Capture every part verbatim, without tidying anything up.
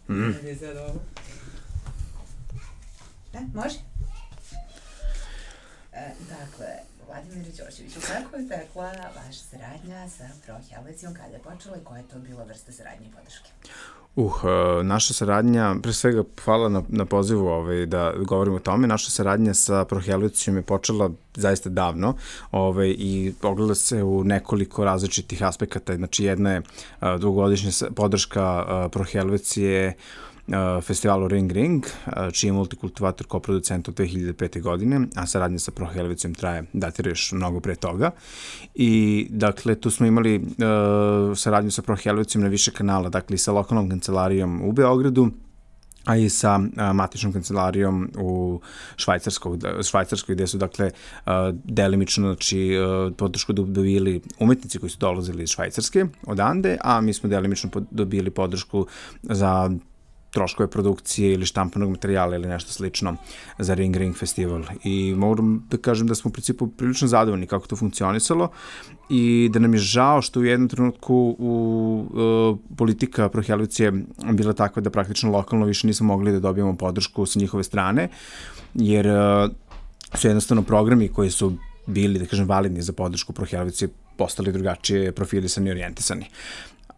Mm. Da, može? E, dakle, Vladimir Đorđeviću, kako je tekla vaša saradnja sa Pro Helvecijom, kada je počela i koja je to bila vrsta saradnje i podrške? Uh, naša saradnja, pre svega hvala na, na pozivu ovaj, da govorimo o tome, naša saradnja sa Pro Helvecijom je počela zaista davno ovaj, i ogleda se u nekoliko različitih aspekata. Znači, jedna je uh, dugogodišnja podrška uh, Pro Helvecije festivalu Ring Ring, čiji je Multikultivator koproducent od dve hiljade pete. godine, a saradnja sa Pro Helvecijom traje, datira još mnogo pre toga. I, dakle, tu smo imali uh, saradnju sa Pro Helvecijom na više kanala, dakle, i sa lokalnom kancelarijom u Beogradu, a i sa a, matičnom kancelarijom u Švajcarskoj, Švajcarskoj gde su, dakle, a, delimično, znači, a, podršku dobili umetnici koji su dolazili iz Švajcarske odande, a mi smo delimično dobili podršku za troškove produkcije ili štampanog materijala ili nešto slično za Ring Ring festival. I moram da kažem da smo u principu prilično zadovoljni kako to funkcionisalo i da nam je žao što u jednom trenutku u, uh, politika Pro Helvecije bila takva da praktično lokalno više nismo mogli da dobijemo podršku sa njihove strane, jer uh, su jednostavno programi koji su bili, da kažem, validni za podršku Pro Helvecije postali drugačije profilisani i orijentisani.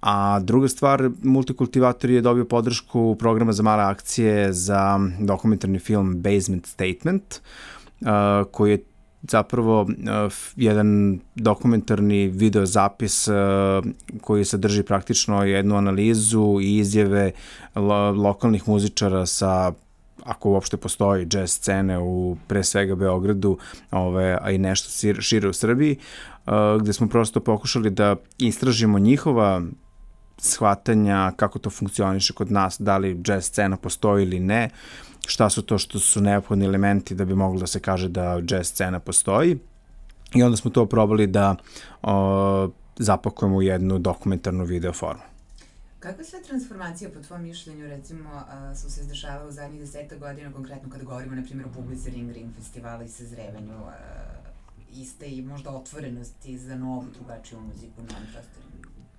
A druga stvar, Multikultivator je dobio podršku programa za male akcije za dokumentarni film Basement Statement, uh, koji je zapravo uh, jedan dokumentarni video zapis uh, koji sadrži praktično jednu analizu i izjave lo lokalnih muzičara sa, ako uopšte postoji, jazz scene u pre svega Beogradu, ove, a i nešto šire u Srbiji, uh, gde smo prosto pokušali da istražimo njihova shvatanja, kako to funkcioniše kod nas, da li jazz scena postoji ili ne, šta su to što su neophodni elementi da bi moglo da se kaže da jazz scena postoji. I onda smo to probali da o, zapakujemo u jednu dokumentarnu video formu. Kakve sve transformacije, po tvojom mišljenju, recimo, a, su se izdešavale u zadnjih deseta godina, konkretno kada govorimo, na primjer, o publici Ring Ring festivala i sazrevanju a, iste i možda otvorenosti za novu, drugačiju muziku na ovim prostorima?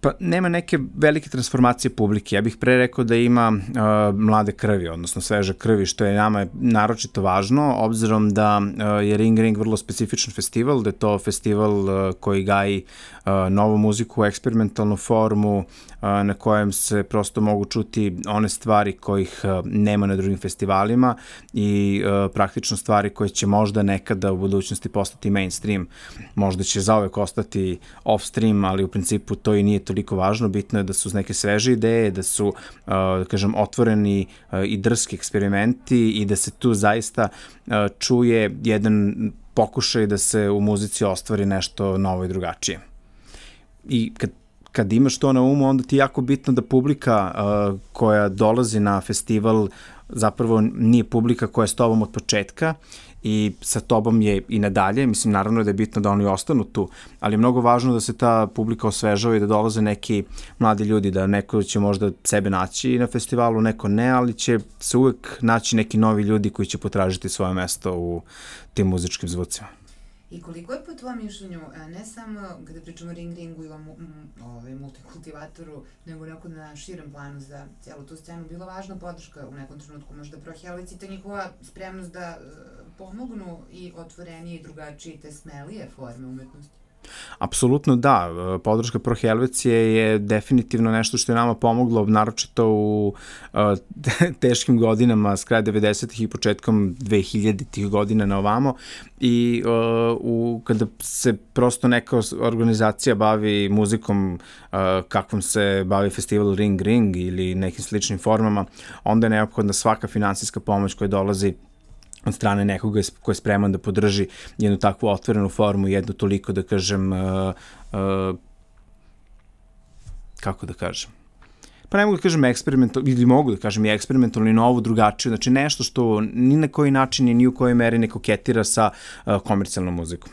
Pa nema neke velike transformacije publike. Ja bih pre rekao da ima uh, mlade krvi, odnosno sveže krvi, što je nama naročito važno, obzirom da uh, je Ring Ring vrlo specifičan festival, da je to festival uh, koji gaji uh, novu muziku, eksperimentalnu formu, uh, na kojem se prosto mogu čuti one stvari kojih uh, nema na drugim festivalima i uh, praktično stvari koje će možda nekada u budućnosti postati mainstream. Možda će zauvek ostati off-stream, ali u principu to i nije toliko važno. Bitno je da su neke sveže ideje, da su, uh, da kažem, otvoreni uh, i drski eksperimenti i da se tu zaista uh, čuje jedan pokušaj da se u muzici ostvari nešto novo i drugačije. I kad kad imaš to na umu, onda ti je jako bitno da publika uh, koja dolazi na festival zapravo nije publika koja je s tobom od početka i sa tobom je i nadalje. Mislim, naravno da je bitno da oni ostanu tu, ali je mnogo važno da se ta publika osvežava i da dolaze neki mladi ljudi, da neko će možda sebe naći na festivalu, neko ne, ali će se uvek naći neki novi ljudi koji će potražiti svoje mesto u tim muzičkim zvucima. I koliko je po tvojom mišljenju, ne samo kada pričamo o Ring Ringu ili o ovaj, Multikultivatoru, nego neko na širem planu za cijelu tu scenu, bila važna podrška u nekom trenutku možda Pro Helvecije, ta njihova spremnost da pomognu i otvorenije i drugačije te smelije forme umetnosti? Apsolutno da, podrška Pro Helvecije je definitivno nešto što je nama pomoglo, naročito u uh, teškim godinama s kraja devedesetih i početkom dvehiljaditih godina na ovamo i uh, u, kada se prosto neka organizacija bavi muzikom uh, kakvom se bavi festival Ring Ring ili nekim sličnim formama, onda je neophodna svaka finansijska pomoć koja dolazi od strane nekoga ko je spreman da podrži jednu takvu otvorenu formu, jednu toliko, da kažem, uh, uh, kako da kažem, pa ne mogu da kažem eksperimentalno, ili mogu da kažem i eksperimentalno i novu, drugačiju, znači nešto što ni na koji način i ni u kojoj meri ne koketira sa uh, komercijalnom muzikom.